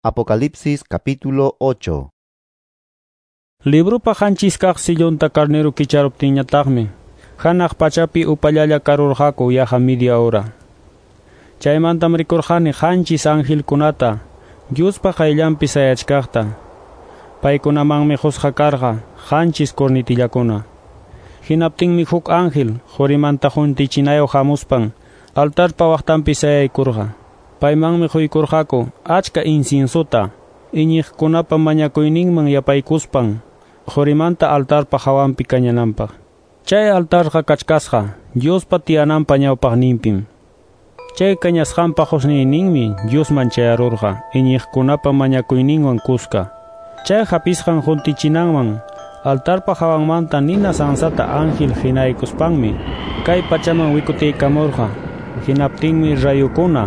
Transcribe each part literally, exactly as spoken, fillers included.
Apocalipsis capítulo ocho. Librupa qanchis kaq sillunta carnero kicharuptinñataqmi, hanaq pachapi upallalla karurqaku yaqa media hora. Chaymantam rikurqani qanchis angelkunata, Diospa qayllanpi sayachkaqta. Paykunamanmi qusqa karqa qanchis cornetillakuna. Hinaptinmi huk ángel qurimanta juntichinayoq hamuspan altarpa waqtanpi sayaykurqa. Paymanmi quykurqaku achka inciensota, iñiqkunapa mañakuyninman yapaykuspan qurimanta altarpa hawanpi kañananpaq. Chay altarqa kachkasqa Diospa tiyananpa ñawpaqninpim. Chay kañasqanpa qusniyninmi Diosman chayarurqa iñiqkunapa mañakuyninwan kuska. Chay hapisqan juntichinanman altarpa hawanmanta nina sansata ángel hinaykuspanmi kay pachaman wikutiykamurqa. Hinaptinmi rayukuna,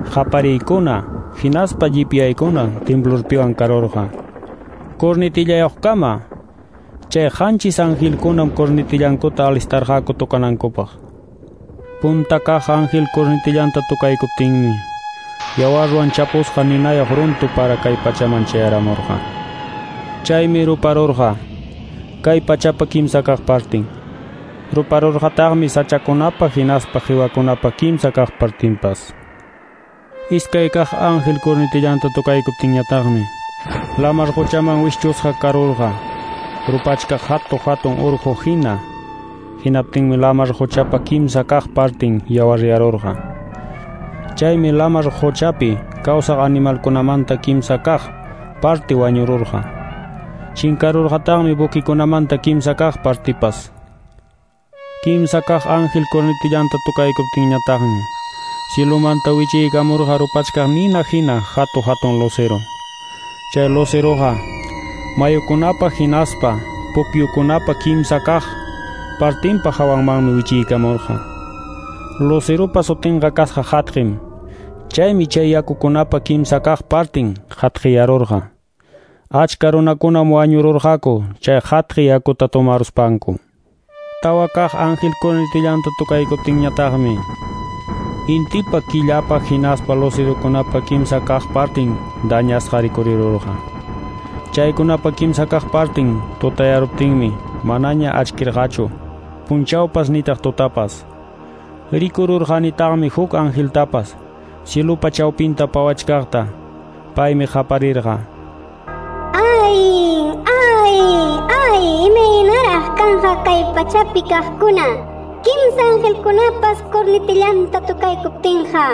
qapariykuna, hinaspa llipyaykuna temblorpiwan karurqa. Cornetillayuqkama chay qanchis angelkunam cornetillankuta alistarqaku tocanankupaq. Punta kaq ángel cornetillanta tocaykuptinmi yawarwan chapusqa ninayuq runtu para kay pachaman chayaramurqa. Chaymi ruparurqa kay pachapa kimsa kaq partin. Ruparurqataqmi sachakunapa hinaspa qiwakunapa kimsa kaq partinpas. Iskay kaq ángel cornetillanta tocaykuptinñataqmi lamar quchaman wischusqa karurqa rupachkaq hatu hatun urqu hina. Hinaptinmi lamar quchapa kimsa kaq partin yawaryarurqa. Chaymi lamar quchapi kawsaq animalkunamanta kimsa kaq parti wañururqa. Chinkarurqataqmi buquikunamanta kimsa kaq partipas. Kimsa kaq ángel cornetillanta tocaykuptinñataqmi cielomanta wichiykamurqa rupachkaq nina hina hatu hatun lucero. Chay luceroqa mayukunapa hinaspa pukyukunapa kimsa kaq partinpa hawanmanmi wichiykamurqa. Luceropa sutinqa kasqa hatqim. Chaymi chay yakukunapa kimsa kaq partin hatqiyarurqa. Achka runakunam wañururqaku chay hatqi yakuta tomaruspanku. Tawa kaq ángel cornetillanta tocaykuptinñataqmi intipa killapa hinaspa lucerokunapa kimsa kaq partin dañasqa rikurirurqa. Chaykunapa kimsa kaq partin tutayaruptinmi manaña achkirqachu, punchawpas nitaq tutapas. Rikururqanitaqmi huk angeltapas cielupa chawpinta pawachkaqta. Paymi qaparirqa: Ay, ay, ay, imaynaraq kanqa kay pachapi kaqkuna, kimsa angelkunapas cornetillanta tocaykuptinqa.